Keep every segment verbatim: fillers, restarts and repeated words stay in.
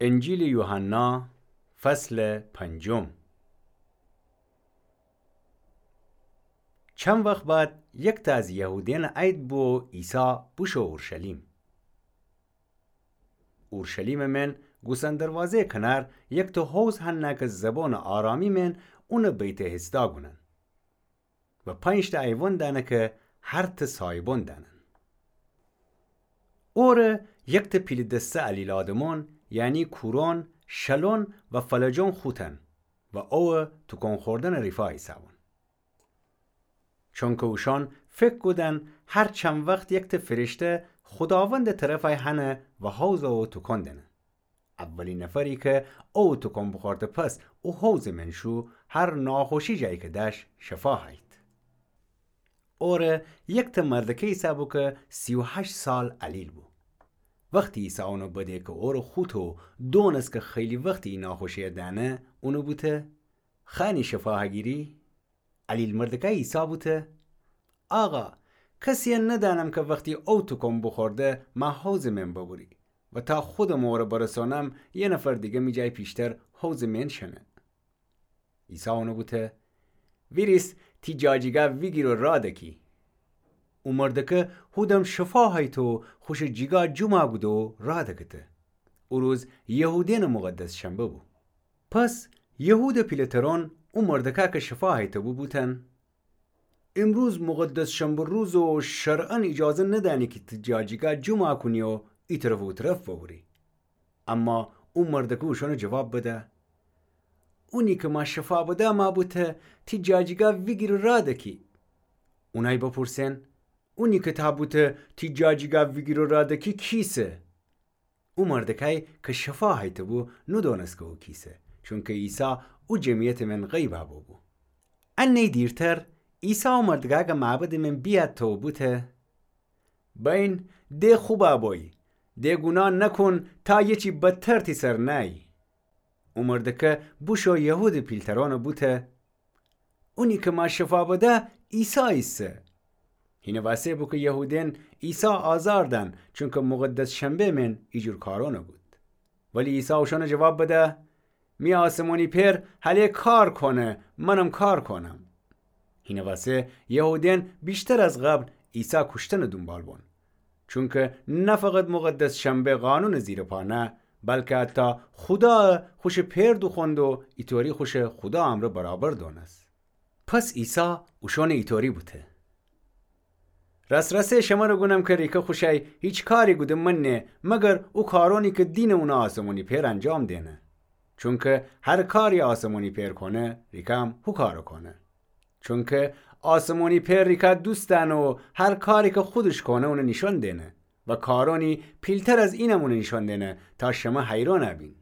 انجیلٚ یوحنا، فصلٚ پنجم. چند وخت بعد یکتأ از یهودیأنٚ عید بو و عیسی بوشو اورشلیم. اورشلیمٚ مئن گوسفندٚ دروازه‌یٚ کنار یکتأ حوض هنه کی زبانٚ آرامی مئن اونٚ بیت‌حسدا گونن. و پنج‌تأ ایوان دأنه کی هرتأ سایبان دأنن. اوره یکتأ پیلٚ دسته علیل آدمأن، یعنی کورأن، شلأن و فلجأن خوتن و اوه توکان خوردنٚ ریفا ایسه‌بون. چونکی اوشأن فکر کودن هر چند وخت یکتأ فرشته خوداوندٚ طرفأی هنه و حوض اوه توکان دأنه. اولی نفری کی اوه توکان بوخورده پس او حوضٚ مئن شو، هر ناخوشی جایی کی دأش شفا هیت. اوره یکتأ مردکه ایسه‌بو کی سی و هشت سال علیل بو. وختی عیسی اونٚ بده کی اوره خوته و دونسته کی خیلی وختی ای ناخوشی‌یه دأنه، اونٚ بوته: خأنی شفا هگیری؟ علیل مردکأی عیسی بوته: آقا، کسی‌یه ندأنم کی وختی او توکان بوخورده مأ حوضٚ مئن ببری و تا خودم اوره برسانم، یه نفر دیگه می جای پیشتر حوضٚ مئن شنه. عیسی اونٚ بوته: ویریس، تی جاجیگا ویگیر و راه دکی. او مردکه هودم شفا هیته و خوشٚ جیگا جومأ کوده و راه دکته. او روز یهودیأنٚ مقدس شنبه بو. پس یهودٚ پیله‌ترأن او مردکه کی شفا هیته‌بو بوتن: ایمروز مقدس شنبه روزه و شرعاً ایجازه ندأنی کی تی جاجیگا جومأ کونی و ای طرف و او طرف ببری. اما او مردکه اوشأنٚ جواب بده: اونی کی مأ شفا بده مأ بوته تی جاجیگا ویگیر و راه دکی. اونأی بپورسئن: اونی کی تأ بوته تی جاجیگا ویگیر و راه دکی کیسه؟ او مردکأی کی شفا هیته‌بو نودونسته کی او کیسه، چونکی عیسی او جمعیتٚ مئن غیبأ بوبو. انه‌یی دیرتر عیسی او مردکه کی معبدٚ مئن بیأتته و بوته: بأیین، د خوبأ بویی، د گوناه نکون تا یه چی بدتر تی سر نأیی. او مردکه بوشو یهودٚ پیلترأنٚ بوته: اونی کی مأ شفا بده عیسی ایسه. هینٚ وأسه بو کی یهودیأن عیسی آزار دأن، چونکی مقدس شنبه مئن ایجور کارأنٚ بود. ولی عیسی اوشأنٚ جواب بده: می آسمانی پئر هله کار کونه، منم کار کونم. هینٚ وأسه یهودیأن ویشتر از قبل عیسی کوشتنٚ دونبال بون. چونکی نه فقط مقدس شنبه قانونٚ زیر پا نه، بلکی حتی خودا خوشٚ پئر دوخوأند و ایطوری خوشٚ خودا امرأ برابر دونست. پس عیسی اوشأنٚ ایطوری بوته: راس‌راسی شمرأ گونم کی ریکه خوشأی هیچ کاری گوده منه، مگر او کارأنی کی دینٚ اونٚ آسمانی پئر انجام دئنه. چونکی هر کاری آسمانی پئر کونه، ریکه هم هو کارٚ کونه. چونکی آسمانی پئر ریکه دوست دأنه و هر کاری کی خودش کونه اونٚ نیشأن دئنه و کارأنی پیلتر از اینم اونٚ نیشأن دئنه تا شمه حیرأن بین.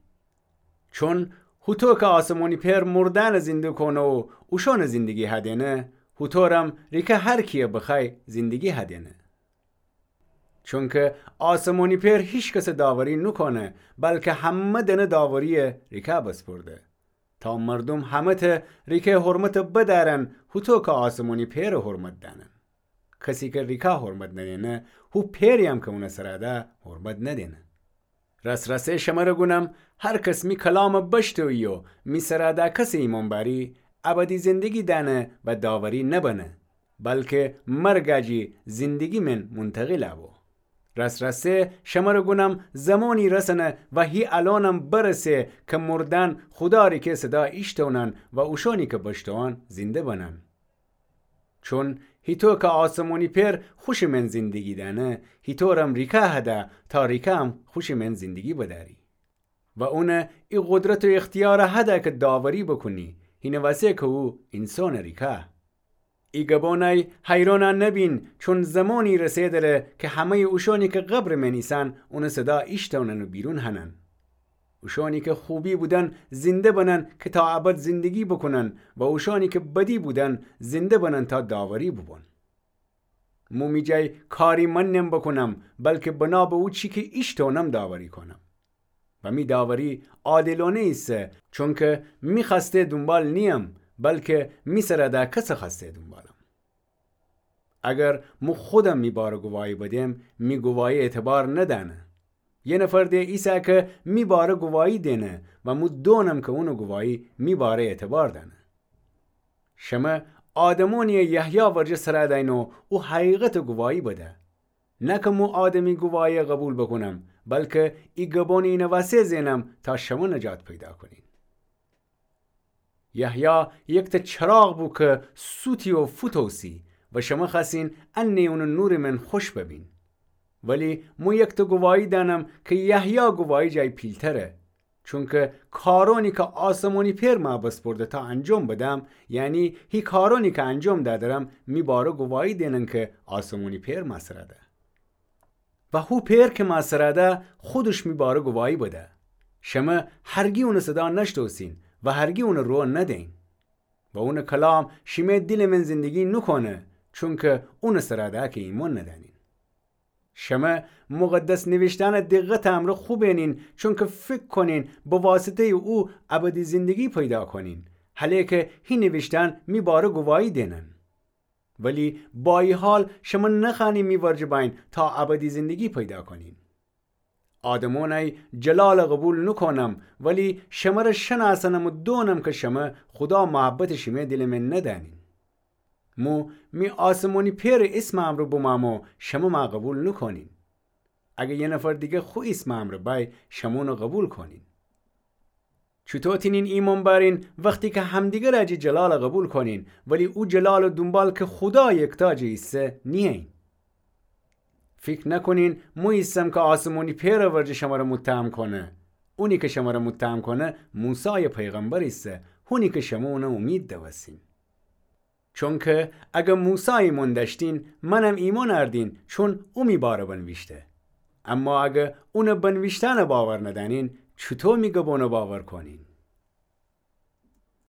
چون هوطو کی آسمانی پئر مردأنٚ زنده کونه و اوشأنٚ زندگی هدئنه، هوطورم ریکه هر کی‌یه بخوأی زندگی هدئنه. چونکی آسمانی پئر هیکسٚ داوری نوکونه، بلکی همه‌دأنه داوری‌یه ریکه بسپرده. تا مردوم همه‌تأ ریکه حرمتٚ بدأرن، هوطو کی آسمانی پئرٚ حرمت دأنن. کسی کی ریکه حرمت ندینه، هو پئری‌یم کی اونٚ سرأ ده حرمت ندینه. راس‌راسی شمرأ گونم، هر کس می کلامٚ بشتویی و می سرأ ده کسی ایمأن بأری، ابدی زندگی دأنه و داوری نبنه، بلکی مرگأ جی زندگی مئن مونتقیلأ بو. راس‌راسی شمرأ گونم، زمانی رسنه و هی الأنم برسه کی مردأن خودا ریکه صدا ایشتونن و اوشأنی کی بشتوئن زنده بنن. چون هیطو کی آسمانی پئر خوشٚ مئن زندگی دأنه، هیطورم ریکه هده تا ریکه هم خوشٚ مئن زندگی بدأری. و اون ای قدرت و اختیار هده کی داوری بوکونی، هینٚ وأسه کی او اینسانٚ ریکه. ای گبانأی حیرأن نبین، چون زمانی رسه دره کی همه‌یٚ اوشأنی کی قبرٚ مئن ایسن اونٚ صدا ایشتونن و بیرون هنن. اوشأنی کی خوبی بودن زنده بنن کی تا ابد زندگی بوکونن و اوشأنی کی بدی بودن زنده بنن تا داوری بوبون. مو می جای کاری من نم بوکونم، بلکی بنا به او چی کی ایشتونم داوری کونم. و می داوری عادلأنه ایسه، چونکی می خوأسته دونبال نییم، بلکی می سرأ ده کسٚ خوأسته دونبالم. اگر مو خودم می باره گواهی بدم، می گواهی اعتبار ندأنه. یه نفر ده ایسه کی می باره گواهی دینه و مو دونم کی اونٚ گواهی می باره اعتبار دأنه. شمه آدمونیی یحیی ورجه سر دأین و او حقیقتٚ گواهی بده. نه کی مو آدمی گواهیی قوبیل بوکونم، بلکی ای گبونٚ اینٚ وسه زئنم تا شمه نجات پیدا کونین. یحیی یکتأ چراغ بو کی سوتی و فوتوسی و شمه خوأسین انه اونٚ نورٚ من خوش ببین. ولی مو یکتأ گواهی دأنم کی یحیی گواهی جای پیلتره. چونکی کارونی کی آسمونی پئر مأ بسپرده تا انجام بدم، یعنی هی کارونی کی انجام دأدرم، می باره گواهی دینن کی آسمونی پئر مأ سر ده. و هو پئر کی مأ سر ده، خودش می باره گواهی بده. شمه هرگی اونٚ صدا نشتوسین و هرگی اونٚ رو ندین. و اونٚ کلام شیمه دیلٚ من زندگی نوکونه، چونکی اونٚ سر ده کی ایمأن ندأنین. شمه مقدس نیویشتأنٚ دقتٚ امرأ خو بینین، چونکی فیکر کونین به واسطه‌یٚ او ابدی زندگی پیدا کونین. هله کی هی نیویشتأن می باره گواهی دینن. ولی با ای حال شمه نخوأنین می ورجه بأین تا ابدی زندگی پیدا کونین. آدمونی جلال قوبیل نوکونم، ولی شمره شنأسنم و دونم کی شمه خودا محبتٚ شیمه دیلٚ من ندأنین. مو می آسمونی پئرٚ ایسمٚ امرأ بومأم و شمه مأ قوبیل نوکونین. اگر یه نفر دیگه خو ایسمٚ امرأ بأی، شمه اونٚ قوبیل کونین. چوطو تینین ایمأن بأرین وختی کی همدیگر جی جلال قوبیل کونین، ولی او جلالٚ دونبال کی خودا یکتا جی ایسه نیین؟ فیکر نکونین مو ایسم کی آسمونی پئرٚ ورجه شمره متهم کونه. اونی کی شمره متهم کونه موسایٚ پیغمبر ایسه، هونی کی شمه اونٚ اومید دوستین. چونکی اگر موسی ایمأن دأشتین، منم ایمأن اردین، چون او می باره بنویشته. اما اگر اونٚ بنویشتنٚ باور ندأنین، چوطو می گبونٚ باور کونین؟